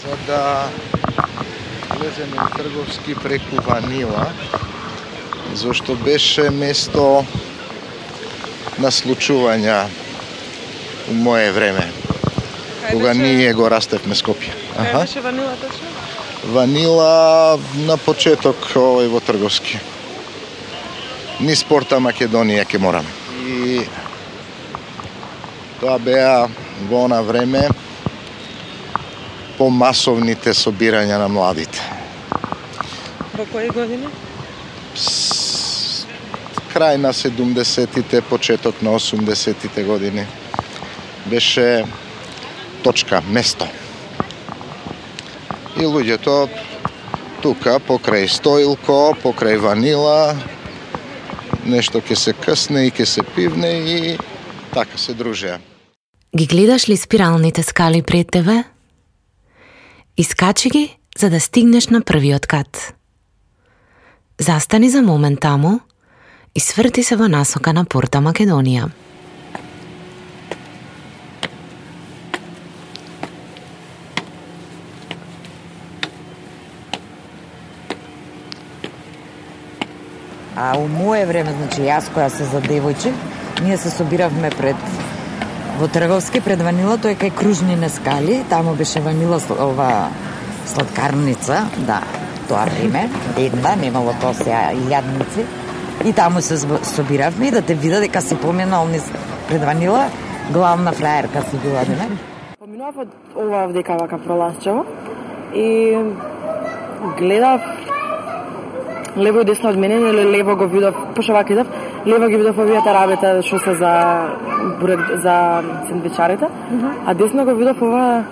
за да влеземе в Трговски преку Ванила, зашто беше место на случувања у мое време, кога ние го растевме Скопје. Кај беше Ванила точно? Ванила на почеток овој во Трговски. Низ порта Македонија ќе мораме. И тоа беа во она време помасовните собирања на младите. Во кои години? Крај на 70-тите, почеток на 80-тите години. Беше точка, место. И луѓето тука, покрај Стоилко, покрај Ванила, нешто ќе се късне и ќе се пивне и така се дружеа. Ги гледаш ли спиралните скали пред тебе? Искачи ги за да стигнеш на првиот кат. Застани за момент таму и сврти се во насока на порта Македонија. А у мое време, значи јас која се за девојче, ние се собиравме во Трговски пред Ванила, тој кај Кружнине скали, таму беше Ванила ова сладкарница, да, тоа време, една, немало тоа сега јадници. И таму се собиравме и да те вида дека си помина онни пред Ванила, главна фраерка си била, не? Поминував од ова вдека вака пролазчево и гледав лево и десно од мене, или лево го видов, пошто вака идав, лево ги видов овие тарабите што се за сендвичарите, а десно го видов ова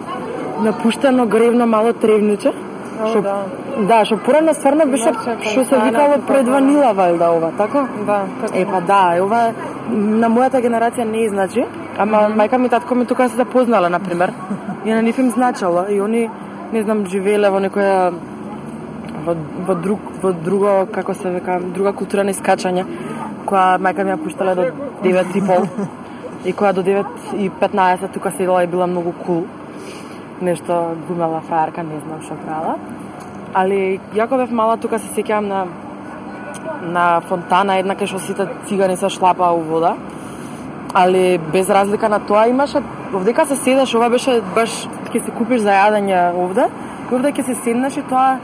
напуштено гревно мало тревниче. Што порано стварно беше што се викало пред Ванила валда ова, така? Да, така. Да, ова на мојата генерација не значи, ама мајка ми и татко ми тука се запознале на пример. И на нив им значало и они не знам живееле во некоја во друго, како се века, друга култура на искачање, која мајка ми ја пуштала до 9:30 и која до 9:15 тука седела и била многу кул. Нешто глумела фраерка, не знам што правила. Али јако бев мала, тука се сеќавам на фонтана, една кај што сите цигани се шлапаа у вода. Али без разлика на тоа имаше, овдека се седаш, ова беше баш ќе се купиш за јадење овде, и овде ќе се седнеш и тоа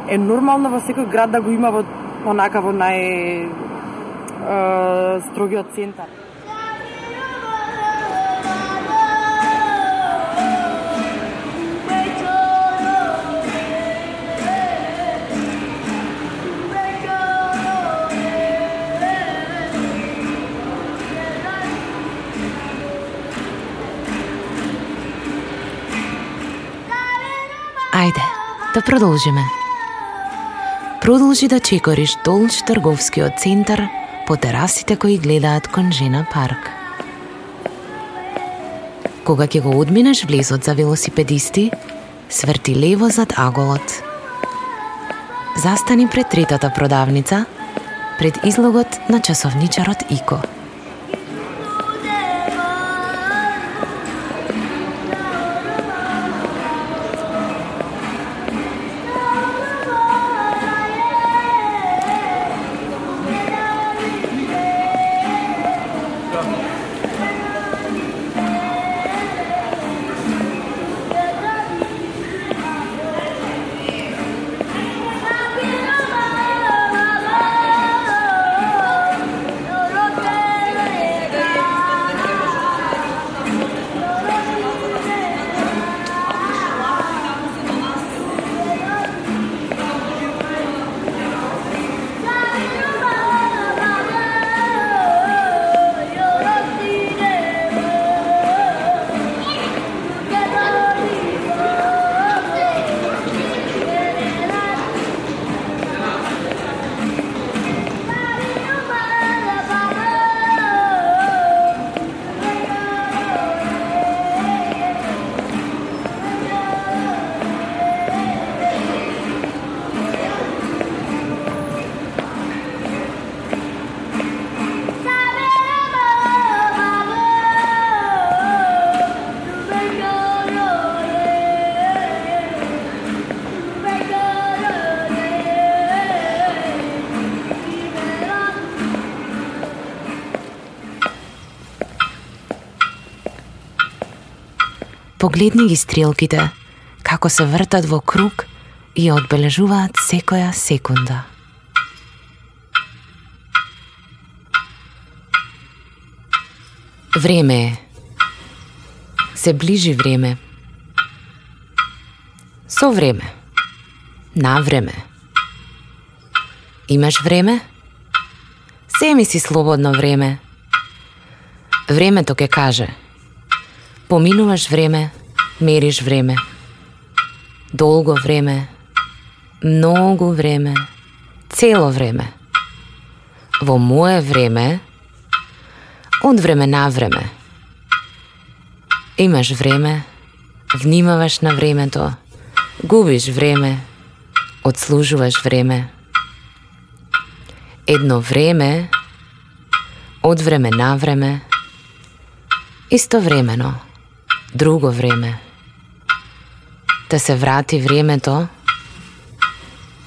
е нормално во секој град да го има во онака во строгиот центар. Ајде, да продолжиме. Продолжи да чекориш долж Трговскиот центар по терасите кои гледаат кон Жена парк. Кога ќе го одминеш влезот за велосипедисти, сврти лево зад аголот. Застани пред третата продавница, пред излогот на часовничарот Ико. Погледни ги стрелките, како се вртат во круг и одбележуваат секоја секунда. Време е. Се ближи време. Со време. На време. Имаш време? Земи си слободно време. Времето ќе каже. Поминуваш време, мериш време. Долго време, многу време, цело време. Во мое време, од време на време. Имаш време, внимаваш на времето, губиш време, одслужуваш време. Едно време, од време на време, истовремено, друго време. Да се врати времето,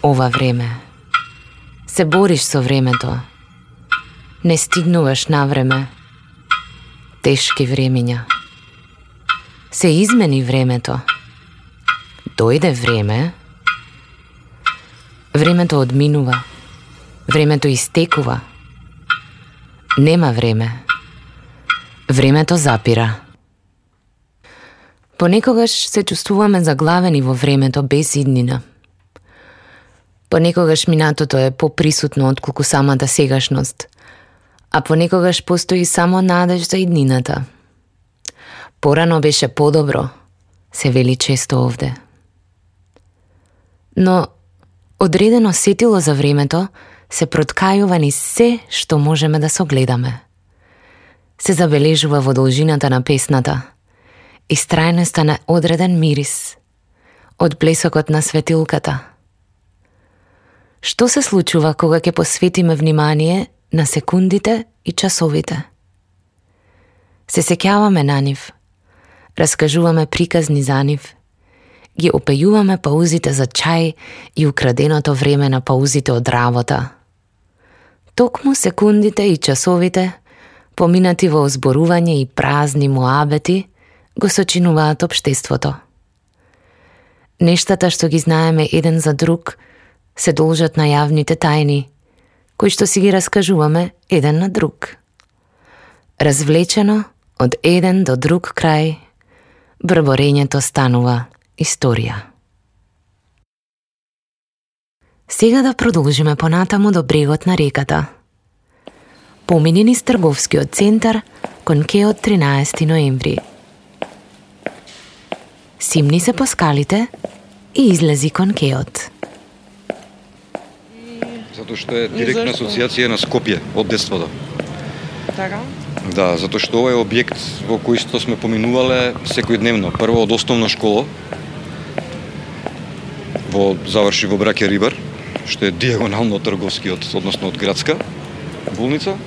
ова време. Се бориш со времето, не стигнуваш на време, тешки времиња. Се измени времето, дојде време, времето одминува, времето истекува, нема време, времето запира. Понекогаш се чувствуваме заглавени во времето без иднина. Понекогаш минатото е поприсутно отколку самата сегашност, а понекогаш постои само надеж за иднината. Порано беше подобро, се вели често овде. Но одредено сетило за времето се проткајува ни се што можеме да согледаме. Се забележува во должината на песната, истрајноста на одреден мирис, од блесокот на светилката. Што се случува кога ќе посветиме внимание на секундите и часовите? Се сеќаваме на нив, раскажуваме приказни за нив, ги опејуваме паузите за чај и украденото време на паузите од работа. Токму секундите и часовите, поминати во озборување и празни муабети, го сочинуваат општеството. Нештата што ги знаеме еден за друг се должат на јавните тајни, кои што си ги раскажуваме еден на друг. Развлечено од еден до друг крај, брборењето станува историја. Сега да продолжиме понатаму до брегот на реката. Помини низ трговскиот центар кон кеот 13 ноември. Симни се по скалите и излези кон кеот. Затоа што е директна асоциација на Скопје од детството. Така? Да, затоа што ова е објект во кој што сме поминувале секојдневно. Прво од основна школа, заврши во Браќа Рибар, што е дијагонално од трговскиот, односно од градска болница.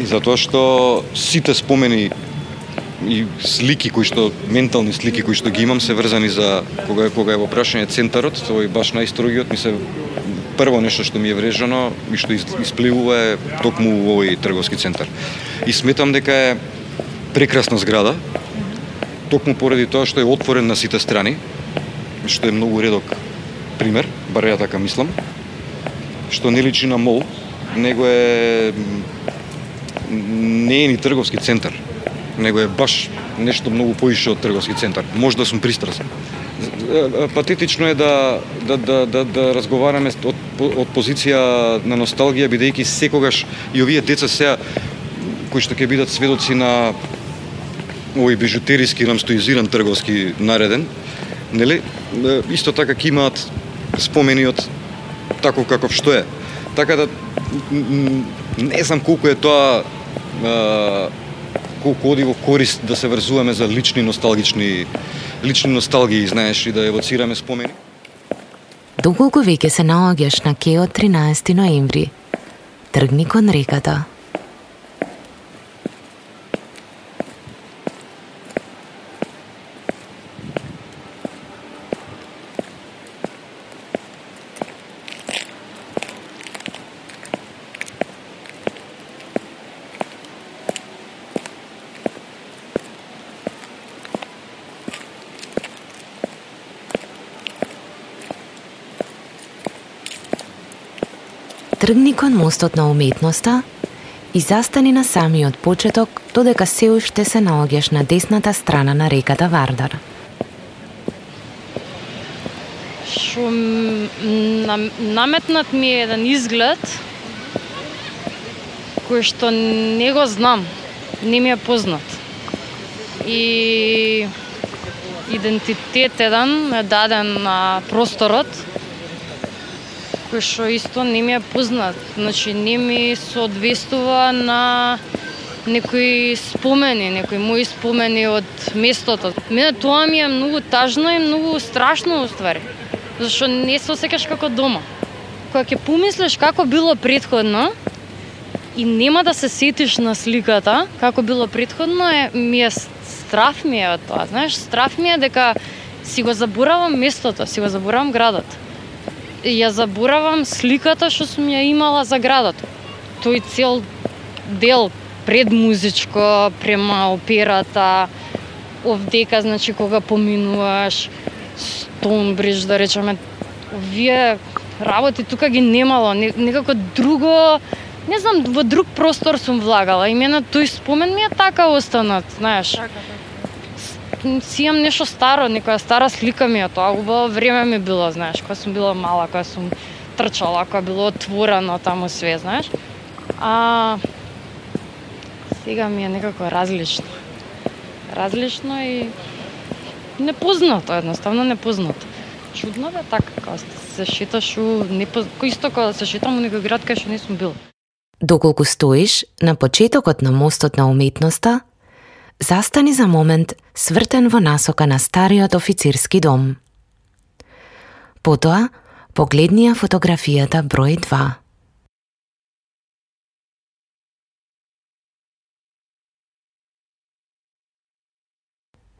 И затоа што сите спомени и слики ментални слики кои што ги имам се врзани за кога е во прашање центарот, тој баш најстрогиот ми се прво нешто што ми е врежано и што испливува е токму овој трговски центар. И сметам дека е прекрасна зграда, токму поради тоа што е отворен на сите страни, што е многу редок пример, бар ја така мислам, што не личи на мол, него не е ни трговски центар, него е баш нешто многу поише од трговски центар. Можда сум пристрасен. Патетично е да разговараме од позиција на носталгија, бидејќи секогаш и овие деца сега кои што ќе бидат сведоци на овој бижутериски рамстоизиран трговски нареден, нели? Исто така ќе имаат спомени од таков каков што е. Така да не знам колку е тоа колку оди во корист да се врзуваме за лични носталгии, знаеш, и да евоцираме спомени. Доколку веќе се наоѓаш на кеот 13 ноември, тргни кон реката. Тргни кон мостот на уметноста и застани на самиот почеток додека се уште се наоѓаш на десната страна на реката Вардар. Шо наметнат ми е еден изглед кој што не го знам, не ми е познат. И идентитет еден е даден на просторот кој што исто не ми е познат. Значи не ми соодветствува на некои спомени, некои мои спомени од местото. Мене тоа ми е многу тажно и многу страшно уствари. Зашто не се осеќаш како дома. Кога ќе помислиш како било претходно и нема да се сетиш на сликата како било претходно, страф ми е од тоа. Знаеш, страф ми е дека си го заборавам местото, си го заборавам градот. И ја заборавам сликата што сум ја имала за градот. Тој цел дел предмузичко према операта, овдека, значи кога поминуваш Стоунбридж, да речеме, овие работи тука ги немало, некако друго, не знам, во друг простор сум влагала и мене тој спомен ми е така останат, знаеш. Си имам нешто старо, некоја стара слика ми е тоа, убаво време ми било, знаеш, кога сум била мала, кога сум трчала, кога било отворено таму све, знаеш. Сега ми е некако различно. Различно и непознато, едноставно непознато. Чудно бе така, кога се шеташ исто кога се шетам у некој град кај што не сум била. Доколку стоиш на почетокот на мостот на уметноста, застани за момент свртен во насока на стариот официрски дом. Потоа, погледни ја фотографијата број 2.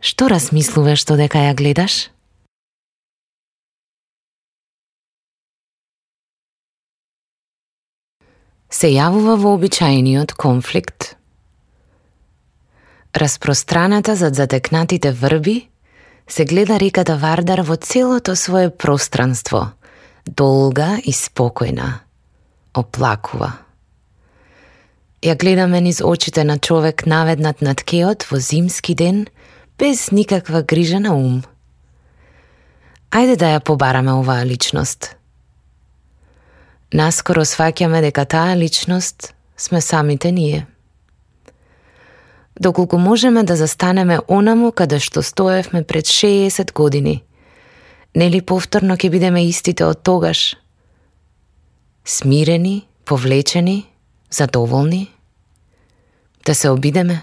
Што размислуваш додека ја гледаш? Се јавува вообичаениот конфликт. Распространата зад затекнатите врби, се гледа реката Вардар во целото свое пространство, долга и спокојна, оплакува. Ја гледаме низ очите на човек наведнат над кеот во зимски ден, без никаква грижа на ум. Ајде да ја побараме оваа личност. Наскоро сваќаме дека таа личност сме самите ние. Доколку можеме да застанеме онаму каде што стоевме пред 60 години, нели повторно ќе бидеме истите од тогаш? Смирени, повлечени, задоволни? Да се обидеме?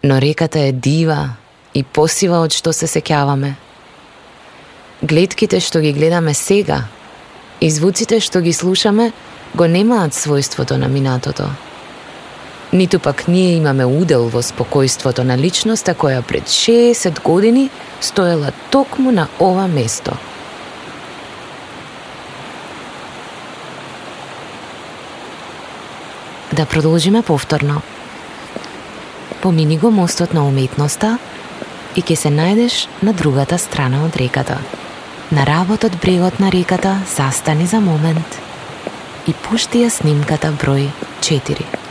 Но реката е дива и посива од што се сеќаваме. Гледките што ги гледаме сега и звуците што ги слушаме го немаат својството на минатото. Ниту пак ние имаме удел во спокојството на личноста која пред 60 години стоела токму на ова место. Да продолжиме повторно. Помини го мостот на уметноста и ќе се најдеш на другата страна од реката. На работ од брегот на реката застани за момент и пушти ја снимката број 4.